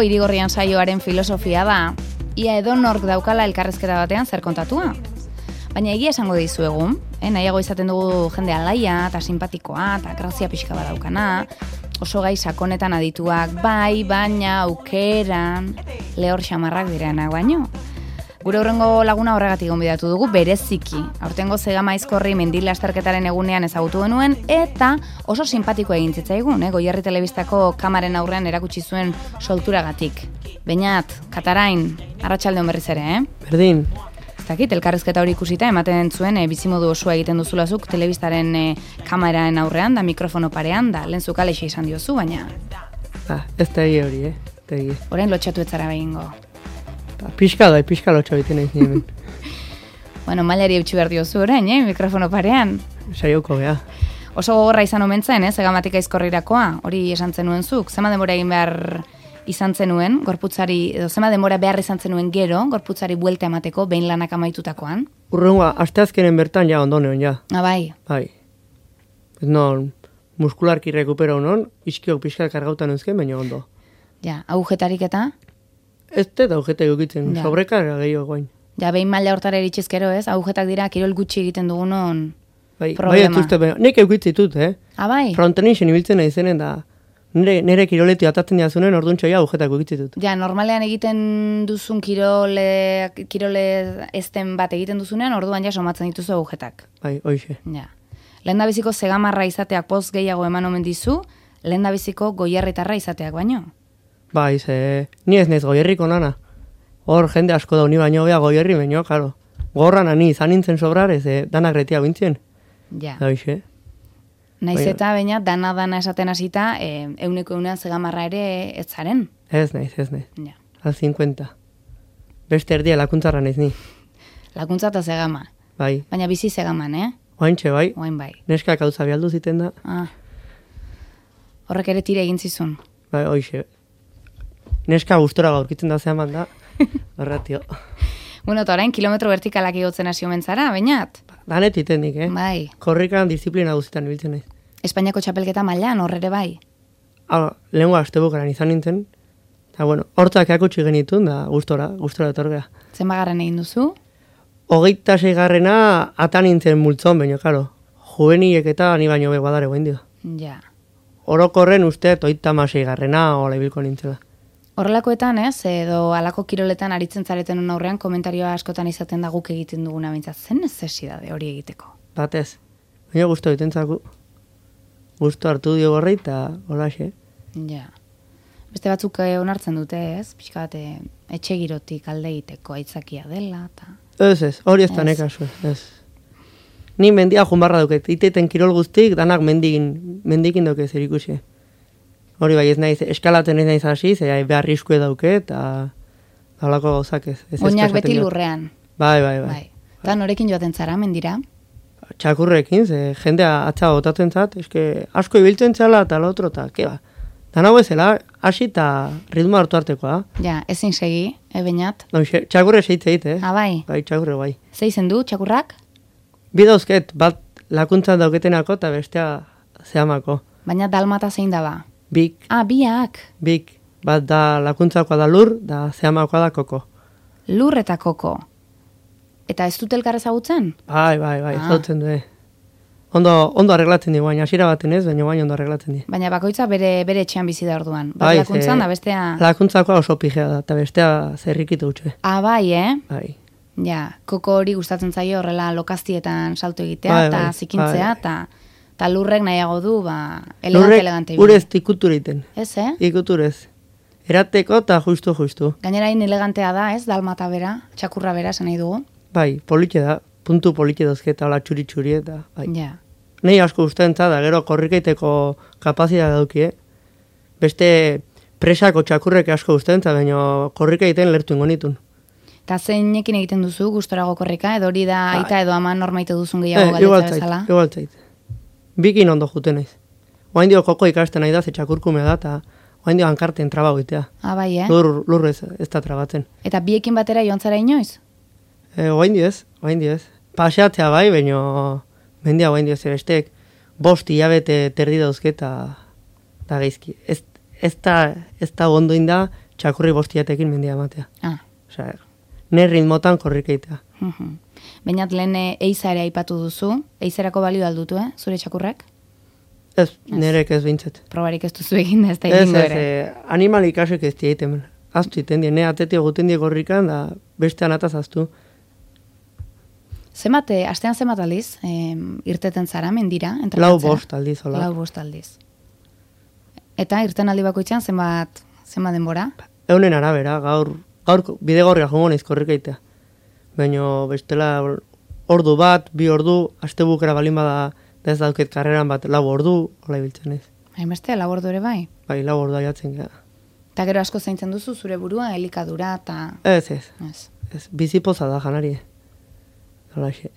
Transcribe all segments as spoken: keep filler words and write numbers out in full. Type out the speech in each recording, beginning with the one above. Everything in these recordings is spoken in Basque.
Irigorrian saioaren filosofia da, ia edonork daukala elkarrezketa batean zer kontatua. Baina egia esango dizuegu, eh, nahiago izaten dugu jende alaia, eta simpatikoa, eta grazia pixka badaukana, oso gai sakonetan adituak, bai, baina, aukeran, lehor xamarrak direnak baino. Gure hurrengo laguna horregatik gonbidatu dugu bereziki. Aurtengo Zegama Aizkorri mendil lasterketaren egunean ezagutu genuen eta oso simpatiko egin zitzaigun, eh? Goierri Telebistako kamaren aurrean erakutsi zuen solturagatik. Beñat, Katarain, arratsalde on berriz ere, eh? Berdin. Ez dakit, elkarrezketa hori ikusita ematen zuen, eh, bizimodu osoa egiten duzulazuk telebistaren eh, kameraren aurrean, da mikrofono parean, da lehen zuk alexe izan diozu, baina... Ah, ez da egia hori, eh? Ez da egia. Orain lotxatu etzara behingo. Pixka da, pixka lotxa biten ez nien. Bueno, mailari eutxu behar diozu orain, eh, mikrofono parean. Saioko, beha. Oso gogorra izan omen zen, eh, Zegamatik Aizkorrirakoa, hori esan zenuen zuk. Zema denbora egin behar izan zenuen, gorputzari, edo zema denbora behar izan zenuen gero, gorputzari buelta emateko, behin lanak amaitutakoan. Urrengoa, asteazkenen bertan ja ondoneon, ja. Ah, bai. Bai. Ez non, muskularki rekupero non, iskiok pixka kargautan eusken, baina ondo. Ja, agujetarik eta? Ez da agujeta egukitzen, Ja. sobrekarga gehiago guain. Ja, behin maila hortara eritxizkero, ez? Agujetak dira, kirol gutxi egiten dugunon Bai, bai problema. ez uste, baina, nik eukitzitut, eh? Ah, bai? Frontenixen ibiltzen nahi zenen da, nire, nire kiroleti atatzen jazunen orduntxo ja agujetak eukitzitut. Ja, normalean egiten duzun kirole, kirole ezten bat egiten duzunean, orduan ja somatzen dituzu agujetak. Bai, hoixe. Ja. Lehendabiziko Zegamarra izateak poz gehiago eman omen dizu, lehendabiziko Goierritarra izateak baino. Bai, ze, ni ez nez Goierriko nana. Hor jende asko da uni baino bea Goierri baino, karo. Gorran ani izan nintzen sobrarez, eh, danak retia bintzien. Ja. Da hoxe. Naiz Baina- eta baina dana-dana esaten hasita, eh, euneko eunean Zegamarra ere ez zaren. Ez naiz, ez naiz. Ja. Al cincuenta. Beste erdia lakuntzarra naiz ni. Lakuntza eta Zegama. Bai. Baina bizi Zegaman, eh? Oaintxe, bai. Oain bai. Neskak hauza bialdu ziten da. Ah. Horrek ere tire egin zizun. Bai, hoxe. Neska gustora gaurkitzen da zehaman da. Horratio. Bueno, eta orain kilometro vertikalak igotzen hasi omen zara, bainat? Danet itendik, eh? Bai. Korrikan disiplina guztietan ibiltzen naiz. Espainiako txapelketa mailan horrere bai. Ah, lehenko astebukaran izan nintzen. Eta, bueno, hortzak eakutsi genitun, da gustora, gustora etorgea. Zenbagarren egin duzu? Hogeita seigarrena atan nintzen multzon, baina, karo. Juvenilek eta ni baino be badare guen dio. Ja. Orokorren uste, oita maseigarrena, hola ibilko nintzela. Horrelakoetan, ez, edo alako kiroletan aritzen zareten aurrean komentarioa askotan izaten da guk egiten duguna bintzat. Zen necesidade hori egiteko? Batez. Baina gusto ditentzaku. Gusto hartu dio gorri eta holaxe. Ja. Beste batzuk eh, onartzen dute, ez? Pixka bat eh, etxe girotik alde egiteko aitzakia dela, eta... Ez ez, hori ez da Ez. nekazu, ez. Ni mendia junbarra duket, iteten kirol guztik, danak mendikin, mendikin duke zer ikusi. Hori bai ez naiz, eskalaten ez naiz hasi, ze behar riskue dauke, eta halako gauzak ez. ez Oinak eskasaten beti dut. lurrean. Bai, bai, bai. Bai. Eta norekin joaten zara, mendira? Txakurrekin, ze jendea atza botatzen zat, eske asko ibiltzen zela eta lotro, eta keba. Dana bezala, hasi eta ritmo hartu artekoa. Ja, ezin segi, ebeñat. No, xe- txakurre seitze egite, eh? Ah, bai. Bai, txakurre bai. Ze izen du, txakurrak? Bi dauzket, bat lakuntzan dauketenako eta bestea zehamako. Baina dalmata zein da ba? Bik, Ah, biak. bik, bat da lakuntzakoa da lur, da zehamakoa da koko. Lur eta koko. Eta ez dut elkar ezagutzen? Bai, bai, bai, Ah. zautzen du, eh. Ondo, ondo arreglatzen di, baina hasiera baten ez, baina baina ondo arreglatzen di. Baina bakoitza bere bere etxean bizi da orduan. Bat Bai, lakuntzan ze- da bestea... Lakuntzakoa oso pijea da, eta bestea zerrikitu utxe. Ah, bai, eh? Bai. Ja, koko hori gustatzen zaio horrela lokaztietan salto egitea, Bai, eta bai, zikintzea, bai. eta eta lurrek nahiago du, ba, elegante, Lurrek elegante. urez ikutur egiten, Ez, eh? ikuturez. Erateko eta justu, justu. Gainera hain elegantea da, ez? Dalmata bera, txakurra bera, esan nahi dugu. Bai, politxe da, puntu politxe dozketa, hola txuri-txuri eta, bai. Ja. Nei asko ustentza da, gero korrikeiteko kapazitatea dauki, eh? Beste presako txakurrek asko ustentza, baina korrikeiten lertu ingo nitun. Eta zeinekin egiten duzu, gustorago korrika, edo hori da Bai. aita edo aman normaite duzun gehiago Eh, igual galdetza zait, bezala? igual zait. Bikin ondo juten naiz. Oain dio koko ikasten nahi da, ze txakurkumea da, eta oain dio hankarten traba goitea. Ah, bai, eh? Lur, lur ez, ez da trabatzen. Eta biekin batera joan zara inoiz? E, oain dio ez, oain dio ez. Paseatzea bai, baina mendia oain dio zer estek. Bost hilabete terdi dauzke eta da geizki. Ez, ez da, ez da ondoin da, txakurri bostiatekin mendia ematea. Ah. Osea, ne ritmotan korrikeitea. Mhm. Bainat lehen eiza ere aipatu duzu, eizerako balio aldutu, eh, zure txakurrek? Ez, nerek ez bintzet. Probarik ez duzu egin da, ez da Ez, egingo ez, ere. eh, animal ikasek ez diaiten. Aztu iten die, ne atetio guten die gorrikan, da bestean ataz aztu. Zenbat, eh, astean zenbat aldiz, eh, irteten zara, mendira, Lau entrenatzera? bost aldiz, hola. Lau bost aldiz. Eta irten aldi bakoitzean zenbat, zenbat denbora? Eunen arabera, gaur, gaur bidegorria jongo naiz korrikeitea. Baina bestela ordu bat, bi ordu, astebukera balin bada, da ez dauket karreran bat, lau ordu, hola ibiltzen ez. Hainbeste, lau ordu ere bai? Bai, lau ordu aiatzen gara. Eta gero asko zaintzen duzu zure burua, elikadura eta... Ez, ez, Ez. ez, bizipoza da janari. Holaxe.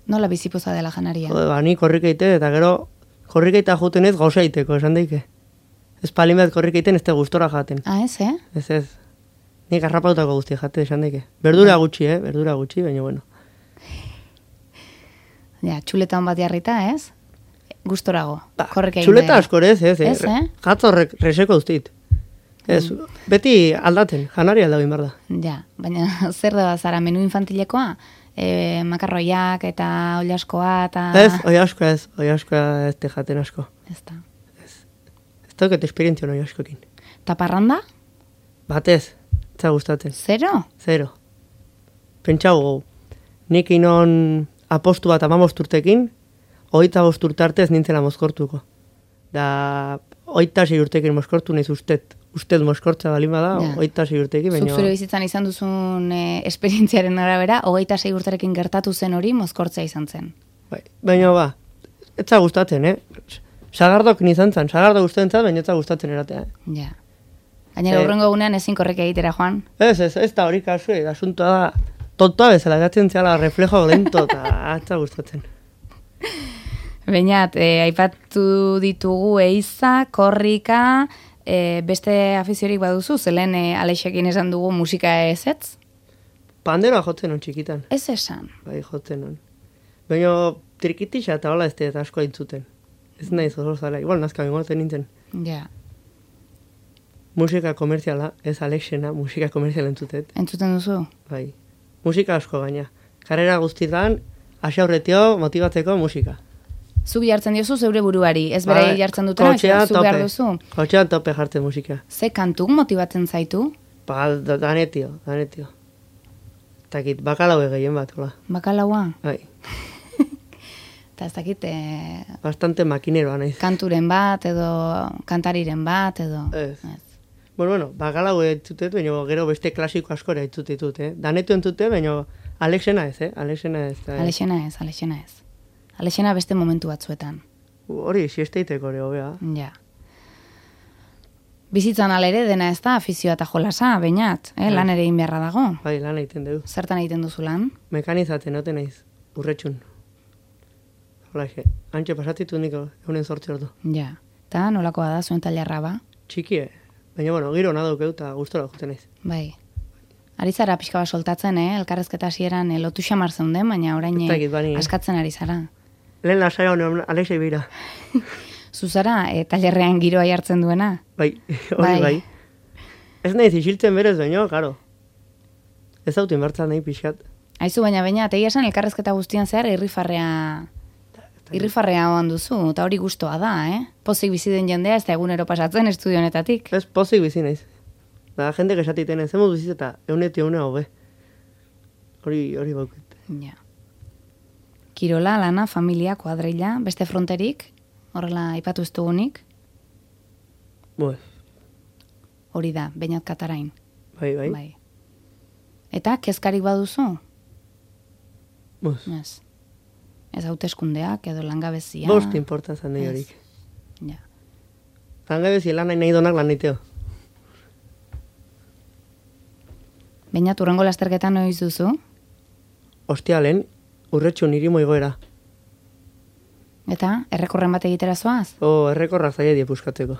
Nola bizipoza dela janaria? Jode, ba, ni korrikeite eta gero korrikeita juten ez gauza iteko, esan daike. Ez palin bat korrikeiten ez te gustora jaten. Ah, ez, eh? Ez ez. Nik arrapautako guzti jate esan daike. Berdura gutxi, eh? Berdura gutxi, baina bueno. Ja, txuleta hon bat jarrita, ez? Gustorago. Ba, Korrika egin txuleta behar. askor ez, ez, Ez, eh? Jatzorrek reseko ustit. Ez, beti aldaten, janari aldagin behar da. Ja, baina zer da zara menu infantilekoa? E, makarroiak eta oliaskoa eta... Ez, oi asko ez, oi asko ez te jaten asko. Ez da. Ez dauket esperientzio oi askokin. Ta parranda? Batez, ez da gustatzen. Zero? Zero. Pentsau gau, nik inon apostu bat amamost urtekin, oita bost urte arte ez nintzela mozkortuko. Da, oita sei urtekin mozkortu nahiz ustet. Ustet mozkortza balin bada, Ja. oita sei urtekin, Zuk baina... zure bizitzan izan duzun e, esperientziaren arabera, hogeita sei urtarekin gertatu zen hori mozkortzea izan zen. Bai, baina ba, ez za gustatzen, eh? Sagardok nizan zan, sagardo gustatzen zan, baina ez za gustatzen eratea. Eh? Ja. Gainera, Eh. hurrengo egunean ezin korreka egitera, Juan. Ez, ez, ez da hori kasu, eh, asuntoa da, tontoa bezala, gatzen zehala reflejo lento, eta ez za gustatzen. Bainat, e, aipatu ditugu eiza, korrika, e, beste afiziorik baduzu, zelen e, Alexekin esan dugu musika ez ez? Pandera jotzen on txikitan, Ez esan. bai jotzen on. Baina trikitisa eta hola ez eta asko aintzuten. Ez naiz oso zala, igual nazka bengoten nintzen. Ja. Musika komerziala, ez Alexena, musika komerziala entzutet, Entzuten duzu? bai. Musika asko gaina. Karrera guztietan, hasi aurretio motibatzeko musika. Zuk jartzen diozu zeure buruari, ez berai Bai, jartzen dutena, kotxean zuk behar tope. duzu. Kotxean tope jartzen musika. Ze kantuk motibatzen zaitu? Ba, da- danetio, danetio. Takit, bakalau gehien bat, hola. Bakalaua? Bai, Eta ez dakit, e, bastante makineroa naiz. kanturen bat, edo kantariren bat, edo... Ez. Bueno, bueno, bakalau entzutet, baina gero beste klasiko askora entzutitut, eh? Danetu entzute, baina Alexena ez, eh? Alexena ez. Da, Alexena ez, Alexena ez. Alexena beste momentu batzuetan. Hori, siesteiteko hori, hobea. Ja. Bizitzan alere dena ez da afizioa eta jolasa, bainat, eh? lan ere egin beharra dago. Bai, lan egiten dugu. Zertan egiten duzu lan? Mekanizatzen note naiz, urretxun. Holaxe, antxe pasatitu niko, eunen sortze ordu. Ja. Eta nolakoa da zuen tailerra ba? Txikie, baina bueno, giro nadukeu eta gustora juten naiz. Bai. Ari zara pixka bat soltatzen, eh? Elkarrezketa hasieran eh, lotu xamar zeunden, baina orain Ez eh, dakit, bani. askatzen ari zara. Lehen lasai honen Alexei bira. Zuzara, eh, tailerrean giroa jartzen duena? Bai, hori Bai. bai. Ez naiz isiltzen berez, baina, karo. Ez dautin bertzen nahi pixat. Aizu, baina baina, tegia esan elkarrezketa guztian zehar irrifarrea... Irrifarrea hoan duzu, eta hori gustoa da, eh? Pozik bizi den jendea ez da egunero pasatzen estudio honetatik. Ez pozik bizi naiz. Da, jende esatiten ez, zemuz bizit eta eunetio eunea hobe. Hori, hori bauket. Ja. Kirola, lana, familia, kuadrilla, beste fronterik, horrela aipatu ez dugunik, Bue, hori da, Beñat Katarain. bai, bai. Bai. Eta, kezkarik baduzu? Buz. Ez. Ez hauteskundeak edo langabezia. Bost importan zan nahi Ez. horik. Ja. Langabezi lan nahi nahi donak lan naiteo. Beñat, urrengo lasterketan noiz duzu? Ostialen, urretxu niri moigoera. Eta, errekorren bat egitera zoaz? O, errekorra zaila die puskatzeko.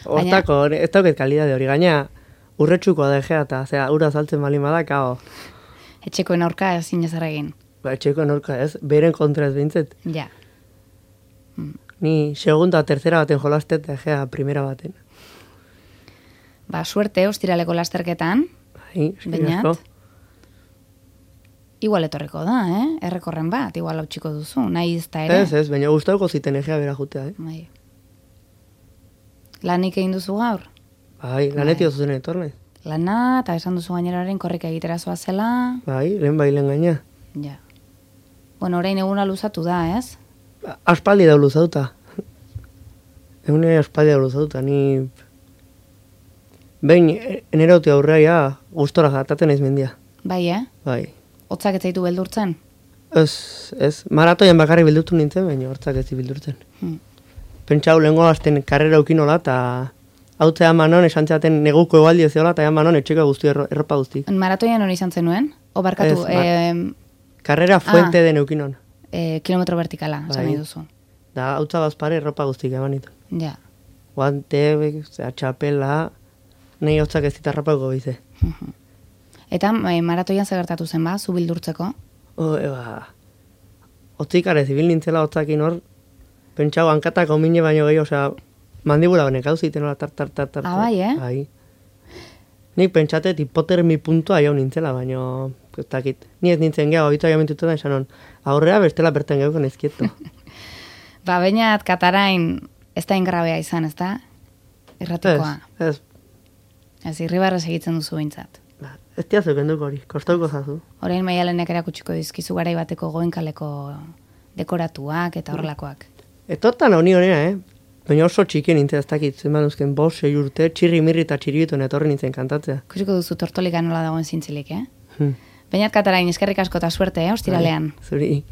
Hortako, ez dauket kalidade hori, gaina urretxuko da egea eta, zera, ura saltzen bali bada, kao. Etxekoen aurka ezin ezar egin. Ba, etxeko norka ez, beren kontra ez behintzet. Ja. Ni segunda, tercera baten jolastet, egea primera baten. Ba, suerte, ostiraleko lasterketan. Bai, eskerrik Beñat. asko. Igual etorriko da, eh? Errekorren bat, igual hautsiko duzu, nahi izta ere. Ez, ez, baina gustauko ziten egea bera jutea, eh? Bai. Lanik egin duzu gaur? Bai, lanetik oso zen etorne. Lana, eta esan duzu gaineraren korrika egitera zoazela. Bai, lehen bai lehen gaina. Ja. Bueno, orain eguna luzatu da, ez? Aspaldi da luzauta. Egune aspaldi da luzauta, ni... Behin, enerauti aurreia, gustora jataten naiz mendia. Bai, eh? Bai. Hotzak ez zaitu beldurtzen? Ez, ez, maratoian bakarri bildurtu nintzen, baina hortzak ez bildurtzen. Hmm. Pentsau lehenko azten karrera ukinola, eta hautzea manon, esan txaten neguko egualdi ez zeola, eta manon etxeko guzti, erro, erropa guzti. Maratoian hori izan zenuen? O barkatu, Ez, ba- eh, Karrera fuente Ah. den eukinon. eh, kilometro vertikala, esan Bai. nahi duzu. Da, hautza bazpare erropa guztik eman ditu. Ja. Guante, zera, txapela, nahi hotzak ez ditarrapako bize. Eta eh, maratoian zer gertatu zen ba, zu bildurtzeko? O, eba, hotzikare zibil nintzela hotzakin hor, pentsau hankatako mine baino gehi, osea, mandibula honek hau ziten hola tar, tar, tar, tar. Ah, bai, eh? Bai. Nik pentsatet hipotermi puntua jau nintzela, baino, ez dakit. Ni ez nintzen geha, obitu aia mentutu da, esan hon, aurrea bestela bertan geuko nezkieto. Ba, bainat Katarain ez da ingrabea izan, ez da? ez, Irratikoa. ez, Ez, irribarrez egiten duzu behintzat. ba, ez diazu kenduko hori, kostauko zazu. Orain maialenek erakutsiko dizkizu garai bateko goenkaleko dekoratuak eta horrelakoak. Etortan honi honera, eh? Baina oso txikien nintzen ez dakit, zenban uzken bost, sei urte, txirri mirri eta txiribituen etorri nintzen kantatzea. Kusiko duzu tortolika nola dagoen zintzilik, eh? Hmm. Bainat Katarain, eskerrik asko eta suerte, eh, ostiralean. Zuri.